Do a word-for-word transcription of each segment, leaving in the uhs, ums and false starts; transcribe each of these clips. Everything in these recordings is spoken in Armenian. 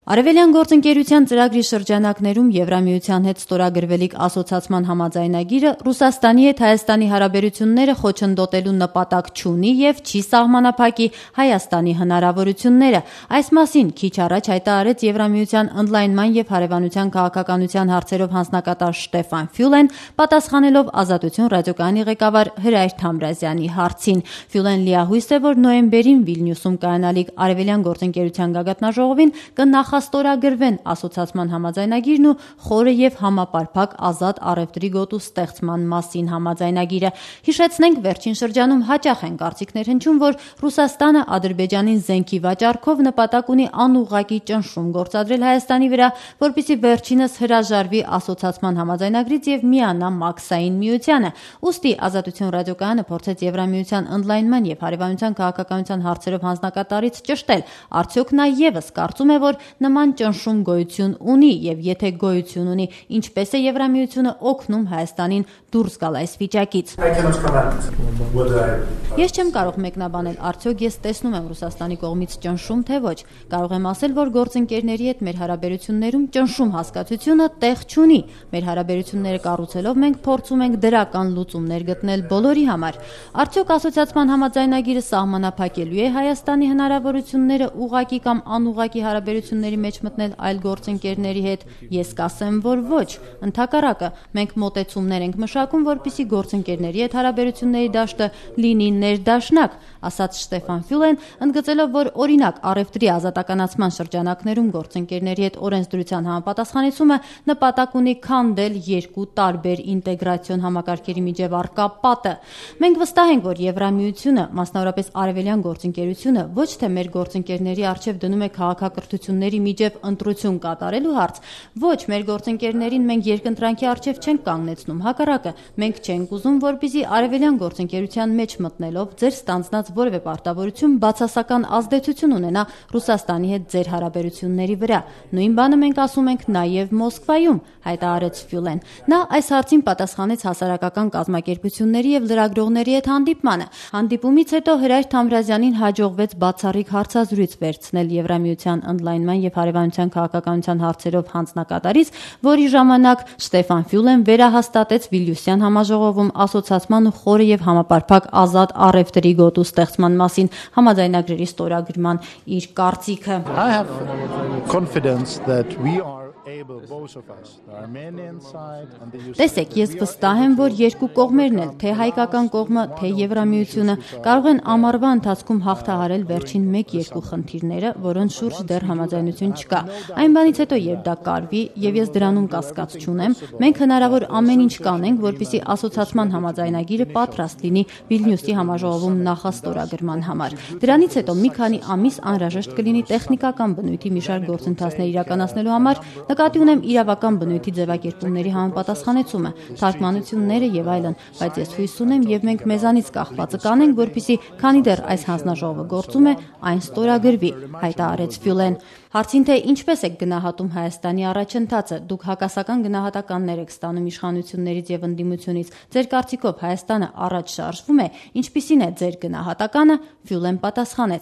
Արևելյան գործընկերության ծրագրի շրջանակներում Եվրամիության հետ ստորագրվելիք ասոցացման համաձայնագիրը Ռուսաստանի հետ Հայաստանի հարաբերությունները խոչընդոտելու նպատակ չունի և չի սահմանափակի Հայաստանի հնարավորությունները։ Այս մասին քիչ առաջ հայտարարեց Եվրամիության ընդլայնման և հարևանության քաղաքականության հարցերով հանձնակատար Շտեֆան Ֆյուլեն, պատասխանելով Ազատություն ռադիոկայանի ղեկավար Հրայր Թամրազյանի հարցին։ Ֆյուլեն լիահույս է, որ նոյեմբերին Վիլնյուսում կայանալիք Արևելյան գործընկերության գագաթնաժողովին կնախ ստորագրվեն ասոցացման համաձայնագիրն ու խորը և համապարփակ ազատ առևտրի գոտու ստեղծման մասին համաձայնագիրը։ Հիշեցնենք, վերջին շրջանում հաճախ են կարծիքներ հնչում, որ Ռուսաստանը Ադրբեջանին զենքի վաճառքով նպատակ ունի անուղղակի ճնշում գործադրել Հայաստանի վրա, որպեսզի վերջինս հրաժարվի ասոցացման համաձայնագրից և միանա Մաքսային միությանը։ Ուստի Ազատություն ռադիոկայանը փորձեց Եվրամիության ընդլայնման և հարևանության քաղաքականության հարցերով հանձնակատարից ճշտել, արդյոք նա ևս կարծում է, որ նման ճնշում գոյություն ունի և եթե գոյություն ունի, ինչպես է Եվրամիությունը օգնում Հայաստանին դուրս գալ այս վիճակից։ Ես չեմ կարող մեկնաբանել, արդյոք ես տեսնում եմ Ռուսաստանի կողմից ճնշում, թե ոչ։ Կարող եմ ասել, որ գործընկերների հետ մեր հարաբերություններում ճնշում հասկացությունը տեղ չունի։ Մեր հարաբերությունները կառուցելով մենք փորձում ենք դրական լուծումներ գտնել բոլորի համար։ Արդյոք ասոցիացման համաձայնագիրը սահմանափակելու է Հայաստանի հնարավորությունները ուղղակի կամ անուղղակի հարաբերությունների մեջ մտնել այլ գործընկերների հետ։ Ես կասեմ, որ ոչ։ Ընդհակառակը, մենք մոտեցումներ ենք մշակում, որպեսզի գործընկերների հետ հարաբերությունների դաշտը լինի ներդաշնակ, ասաց Շտեֆան Ֆյուլեն, ընդգծելով, որ օրինակ առևտրի ազատականացման շրջանակներում գործընկերների հետ օրենսդրության համապատասխանեցումը նպատակ ունի քանդել երկու տարբեր ինտեգրացիոն համակարգերի միջև առկա պատը։ Մենք վստահ ենք, որ Եվրամիությունը, մասնավորապես Արևելյան գործընկերությունը, ոչ թե մեր գործընկերների առջև դնում է քաղաքակրթությունների միջև ընտրություն կատարելու հարց, ոչ, մեր գործընկերներին մենք երկընտրանքի առջև չենք կանգնեցնում, հակառակը, մենք չենք ուզում, որպեսզի արևելյան գործընկերության մեջ մտնելով ձեր ստանձնած որևէ պարտավորություն բացասական ազդեցություն ունենա Ռուսաստանի հետ ձեր հարաբերությունների վրա։ Նույն բանը մենք ասում ենք նաև Մոսկվայում, հայտարարեց Ֆյուլեն։ Նա այս հարցին պատասխանեց հասարակական կազմակերպությունների և լրագրողների հետ հանդիպմանը։ Հանդիպումից հետո Հրայր Թամրազյանին հաջողվեց բացառիկ հարցազրույց վերցնել Եվրամիության ընդլայնման և հարևանության քաղաքականության հարցերով հանձնակատարից, որի ժամանակ Շտեֆան Ֆյուլեն վերահաստատեց Վիլնյուսյան համաժողովում ասոցացման խորը և համապարփակ ազատ առևտրի գոտու ստեղծման մասին համաձայնագրերի ստորագրման իր կարծիքը։ Տեսեք, ես վստահ եմ, որ երկու կողմերն էլ, թե հայկական կողմը, թե Եվրամիությունը, կարող են ամառվա ընթացքում հաղթահարել վերջին մեկ-երկու խնդիրները, որոնց շուրջ դեռ համաձայնություն չկա։ Այն բանից հետո, երբ դա կարվի, և ես դրանում կասկած չունեմ, մենք հնարավոր ամեն ինչ կանենք, որպեսզի ասոցացման համաձայնագիրը պատրաստ լինի Վիլնյուսի համաժողովում նախաստորագրման համար։ Դրանից հետո մի քանի ամիս անհրաժեշտ կլինի տեխնիկական բնույթի մի շարք գործընթացներ իրականացնելու համար, նկատի ունեմ իրավական բնույթի ձևակերպումների համապատասխանեցումը, թարգմանությունները եւ այլն, բայց ես հույս ունեմ եւ մենք մեզանից կախվածը կանենք, որպեսզի քանի դեռ այս հանձնաժողովը գործում է, այն ստորագրվի, հայտարարեց Ֆյուլեն։ Հարցին թե ինչպես եք գնահատում Հայաստանի առաջընթացը, դուք հակասական գնահատականներ եք ստանում իշխանություններից եւ ընդդիմությունից, ձեր կարծիքով Հայաստանը առաջ շարժվում է, ինչպիսին է ձեր գնահատականը, Ֆյուլեն պատասխանեց.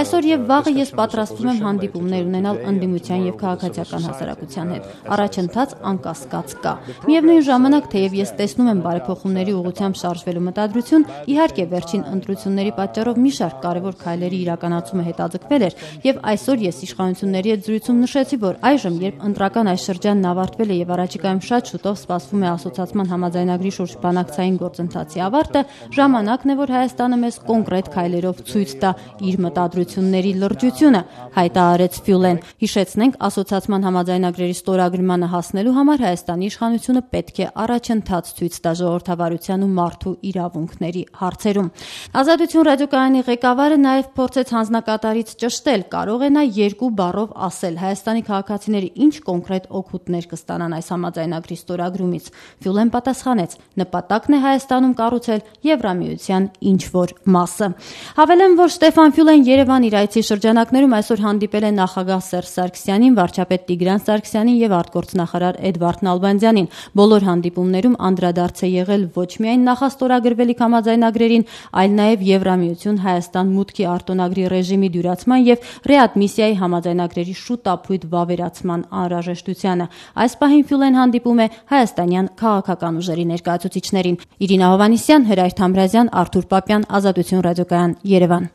Այսօր եւ վաղը ես պատրաստվում եմ հանդիպումներ ունենալ ընդդիմության եւ քաղաքացիական հասարակության հետ։ Առաջընթաց անկասկած կա։ Միևնույն ժամանակ, թեև ես տեսնում եմ բարեփոխումների ուղղությամբ շարժվելու մտադրություն, իհարկե վերջին ընտրությունների պատճառով մի շարք կարևոր քայլերի իրականացումը հետաձգվել էր, եւ այսօր ես իշխանությունների հետ զրույցում նշեցի, որ այժմ, երբ ընտրական այս շրջանն ավարտվել է եւ առաջիկայում շատ շուտով սպասվում է ասոցացման համաձայնագրի շուրջ բանակցային գործընթացի ավարտը, ժամանակն է, որ Հայաստանը մեզ կոնկրետ քայլերով ցույց տա իր մտադրությունների լրջությունը, հայտարարեց Ֆյուլեն։ Հիշեցնենք, ասոցացման համաձայնագրերի ստորագրմանը հասնելու համար Հայաստանի իշխանությունը պետք է առաջընթաց ցույց տա ժողովրդավարության ու մարդու իրավունքների հարցերում։ Ազատություն ռադիոկայանի ղեկավարը նաև փորձեց հանձնակատարից ճշտել, կարող է նա երկու բառով ասել Հայաստանի քաղաքացիները ինչ կոնկրետ օգուտներ կստանան այս համաձայնագրի ստորագրումից։ Ֆյուլեն պատասխանեց. նպատակն է Հայաստանում կառուցել Եվրամիության ինչ-որ մասը։ Հավելեմ, որ Շտեֆան Ֆյուլեն Երևան իր այցի շրջանակներում այսօր հանդիպել է նախագահ Սերժ Սարգսյանին, վարչապետ Տիգրան Սարգսյանին եւ արտգործնախարար Էդվարդ Նալբանդյանին։ Բոլոր հանդիպումներում անդրադարձ է եղել ոչ միայն նախաստորագրվելիք համաձայնագրերին, այլ նաեւ Եվրամիություն Հայաստան մուտքի արտոնագրի ռեժիմի դյուրացման եւ ռեադմիսիայի համաձայնագրերի շուտ ապույտ վավերացման անհրաժեշտությանը։ Այս պահին Ֆյուլեն հանդիպում է հայաստանյան քաղաքական ուժերի ներկայացուցիչներին։ Իրինա Հովհաննիսյան, Հրայր Թամրազյան, Արթուր Պապյան, Ազատություն ռադիոկայան, Երևան։